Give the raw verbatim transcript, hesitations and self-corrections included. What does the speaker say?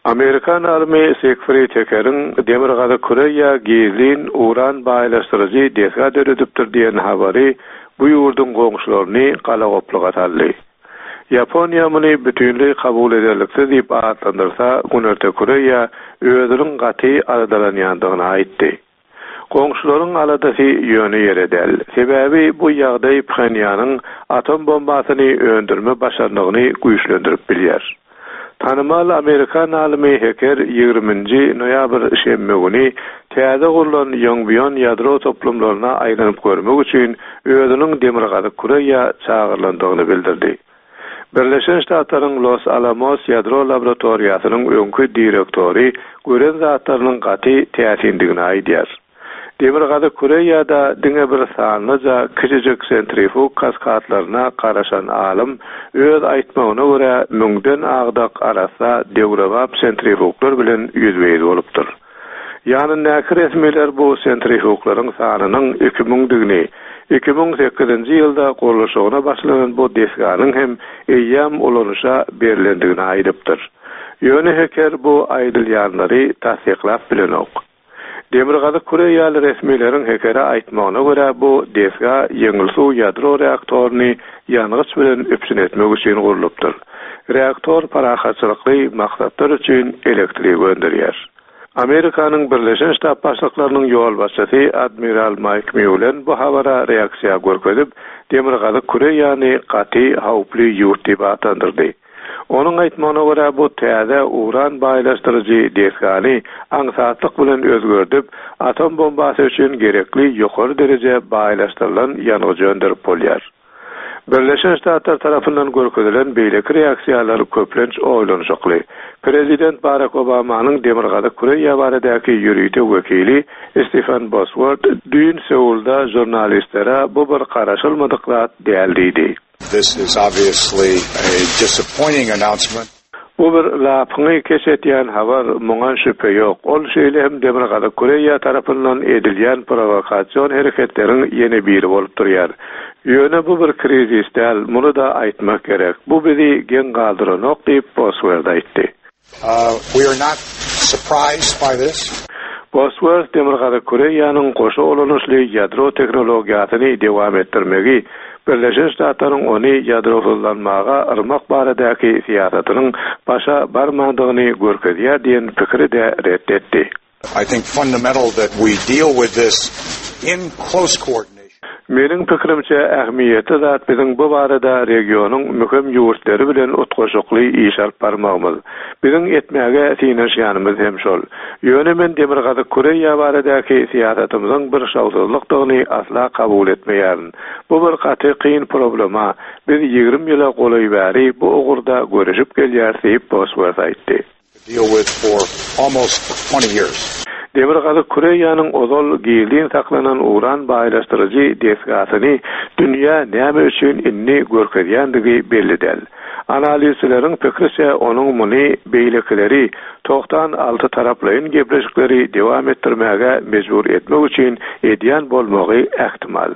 Amerikan alymy Sigfrid Hekeriň Demirgazyk Koreýa gizlin uran baýlaşdyryjy desga döredipdir diýen habary bu ýurduň goňşularyny galagopluga saldy. Ýaponiýa muny bütinleý kabul ederliksiz diýip atlandyrsa, Günorta Koreýa özüniň gaty aladalanýandygyny aýtdy. Goňşularyň aladasy ýöne ýere däl. Sebäbi bu ýagdaý Phenýanyň atom bombasyny öndürme başarnygyny güýçlendirip bilýär. Tanymal Amerikan alymy Heker ýigriminji noýabr şenbe güni täze gurlan Ýongbyon ýadro toplumlaryna aýlanyp görmek üçin özüniň Demirgazyk Koreýa çagyrylandygyny bildirdi. Birleşen Ştatlaryň Los Alamos ýadro laboratoriýasynyň öňki direktory gören zatlarynyň gaty täsindigini aýdýar. Demirgazyk Koreýada diňe bir sanlyja kiçijik sentrifug kaskadlaryna garaşan alym öz aýtmagyna görä müňden agdak arassa döwrebap sentrifuglar bilen ýüzbe-ýüz bolupdyr. Ýanyndaky resmiler bu sentrifuglaryň sanynyň iki müňdigini, iki müň sekizinji ýylda gurluşygyna başlanan bu desganyň hem eýýäm ulanyşa berilendigini aýdypdyr. Ýöne Heker bu aýdylýanlary tassyklap bilenok. Demirgazyk Koreýaly resmileriň Hekere aýtmagyna görä bu desga ýeňil suw ýadro reaktoryny ýangyç bilen üpjün etmek üçin gurlupdyr. Reaktor parahatçylykly maksatlar üçin elektrik öndürýär. Amerikanyň Birleşen Ştat Başlyklarynyň ýolbaşçysy Admiral Mike Mullen bu habara reaksiýa görkezip, Demirgazyk Koreýany gaty howply ýurt diýip atlandyrdy. Onuň aýtmagyna görä bu täze uran baýlaşdyryjy desgany aňsatlyk bilen özgerdip, atom bombasy üçin gerekli ýokary dereje baýlaşdyrylan ýangyjy öndürip bolýar. Birleşen Ştatlar tarapyndan görkezilen beýleki reaksiýalar köplenç oýlanyşykly. Prezident Barack Obamanyň Demirgazyk Koreýa baradaky ýörite wekili Stephen Bosworth düýn Seulda žurnalistlere bu bir garaşylmadyk zat däl diýdi. This is obviously a disappointing announcement. Bu bir lapyňy keç etýän habar, muňa şübhe ýok. Ol şeýle hem Demirgazyk Koreýa tarapyndan edilýän prowokasion hereketleriň ýene biri bolup durýar. Ýöne bu bir krizis däl, muny da aýtmak gerek. Bu bizi geň galdyranok diýip Bosworth aýtdy. Uh, we are not surprised by this. Bosworth Demirgazyk Koreýanyň goşa ulanyşly ýadro tehnologiýasyny dowam etdirmegi, Birleşen Ştatlaryň ony ýadrosyzlanmaga yrmak baradaky syýasatynyň başa barmandygyny görkezýär diýen pikiri de ret etdi. I think fundamental that we deal with this in close coordination. Meniň pikirimçe ähmiýetli zat biziň bu barada regionyň möhüm ýurtlary bilen utgaşykly iş alyp barmagymyz. Biziň etmäge synanyşýanymyz hem şol. Ýöne men Demirgazyk Koreýa baradaky syýasatymyzyň bir şowsuzlykdygyny asla kabul etmeýärin. Bu bir gaty kyn problema. Biz ýigrimi ýyla golaý bäri bu ugurda görüşip gelýäris diýip Bosworth aýtdy. Deal with for almost twenty years. Demirgazyk Koreýanyň ozal gizlin saklanan uran baýlaşdyryjy desgasyny dünýä näme üçin indi görkezýändigi belli däl. Analizçileriň pikiriçe onuň muny beýlekileri togsan alty taraplaýyn gepleşikleri dowam etdirmäge mejbur etmek üçin edýän bolmagy ähtimal.